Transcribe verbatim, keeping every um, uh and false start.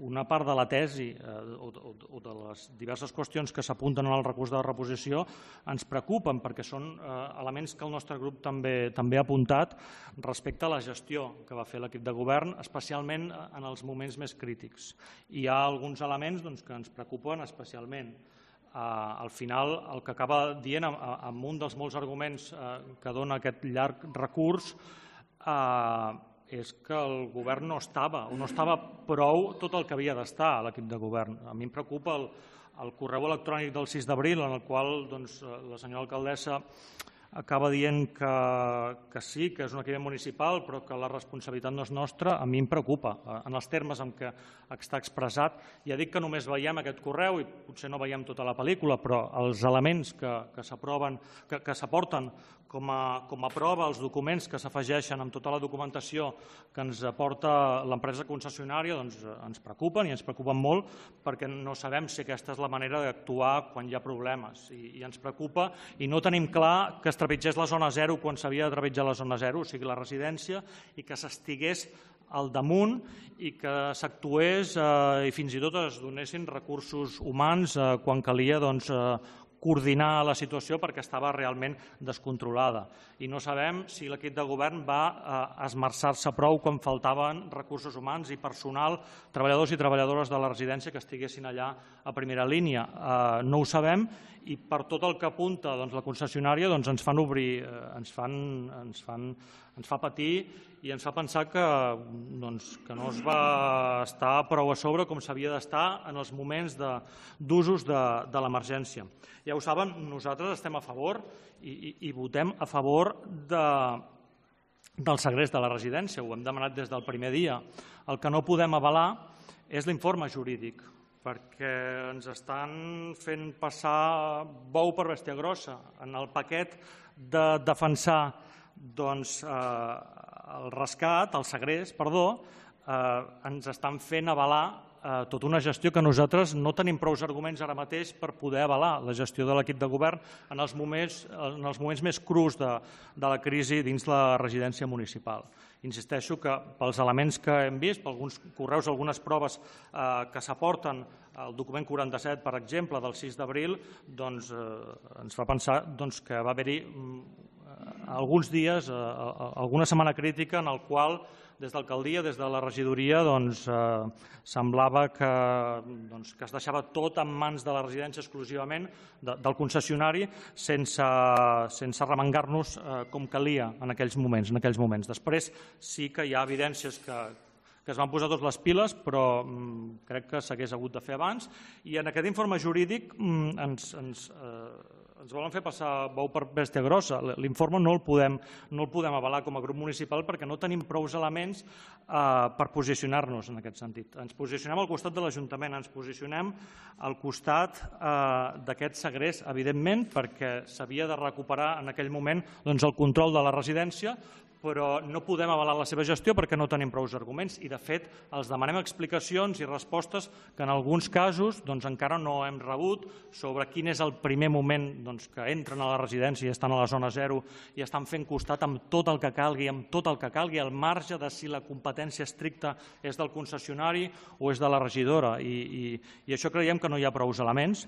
una part de la tesi o de les diverses qüestions que s'apunten en el recurs de reposició ens preocupen perquè són elements que el nostre grup també ha apuntat respecte a la gestió que va fer l'equip de govern, especialment en els moments més crítics. Hi ha alguns elements que ens preocupen especialment. Al final, el que acaba dient, amb un dels molts arguments que dona aquest llarg recurs, és que el govern no estava, o no estava prou tot el que havia d'estar a l'equip de govern. A mi em preocupa el correu electrònic del sis d'abril, en el qual la senyora alcaldessa acaba dient que sí, que és un equip municipal, però que la responsabilitat no és nostra. A mi em preocupa, en els termes en què està expressat. Ja dic que només veiem aquest correu i potser no veiem tota la pel·lícula, però els elements que s'aproven, que s'aporten com a prova, els documents que s'afegeixen amb tota la documentació que ens aporta l'empresa concessionària, ens preocupen i ens preocupen molt perquè no sabem si aquesta és la manera d'actuar quan hi ha problemes. I ens preocupa i no tenim clar que es trepitgés la zona zero quan s'havia de trepitjar la zona zero, o sigui, la residència, i que s'estigués al damunt i que s'actués i fins i tot es donessin recursos humans quan calia coordinar la situació perquè estava realment descontrolada. I no sabem si l'equip de govern va esmerçar-se prou quan faltaven recursos humans i personal, treballadors i treballadores de la residència que estiguessin allà a primera línia. No ho sabem i per tot el que apunta la concessionària ens fan obrir, ens fa patir i ens fa pensar que no es va estar prou a sobre com s'havia d'estar en els moments d'usos de l'emergència. Ja ho saben, nosaltres estem a favor i votem a favor del segrest de la residència, ho hem demanat des del primer dia. El que no podem avalar és l'informe jurídic, perquè ens estan fent passar bou per bèstia grossa. En el paquet de defensar el rescat, el segrest, perdó, ens estan fent avalar tota una gestió que nosaltres no tenim prou arguments ara mateix per poder avalar la gestió de l'equip de govern en els moments més crus de la crisi dins la residència municipal. Insisteixo que pels elements que hem vist, per alguns correus, algunes proves que s'aporten al document quaranta-set, per exemple, del sis d'abril, ens fa pensar que va haver-hi alguns dies, alguna setmana crítica en el qual des de l'alcaldia, des de la regidoria, semblava que es deixava tot en mans de la residència exclusivament, del concessionari, sense remengar-nos com calia en aquells moments. Després sí que hi ha evidències que es van posar tots les piles, però crec que s'hagués hagut de fer abans. I en aquest informe jurídic ens ens volen fer passar bou per bèstia grossa. L'informe no el podem avalar com a grup municipal perquè no tenim prou elements per posicionar-nos en aquest sentit. Ens posicionem al costat de l'Ajuntament, ens posicionem al costat d'aquest segrest, evidentment, perquè s'havia de recuperar en aquell moment el control de la residència, però no podem avalar la seva gestió perquè no tenim prou arguments i, de fet, els demanem explicacions i respostes que en alguns casos encara no hem rebut sobre quin és el primer moment que entren a la residència i estan a la zona zero i estan fent costat amb tot el que calgui, amb tot el que calgui, al marge de si la competència estricta és del concessionari o és de la regidora. I això creiem que no hi ha prou elements.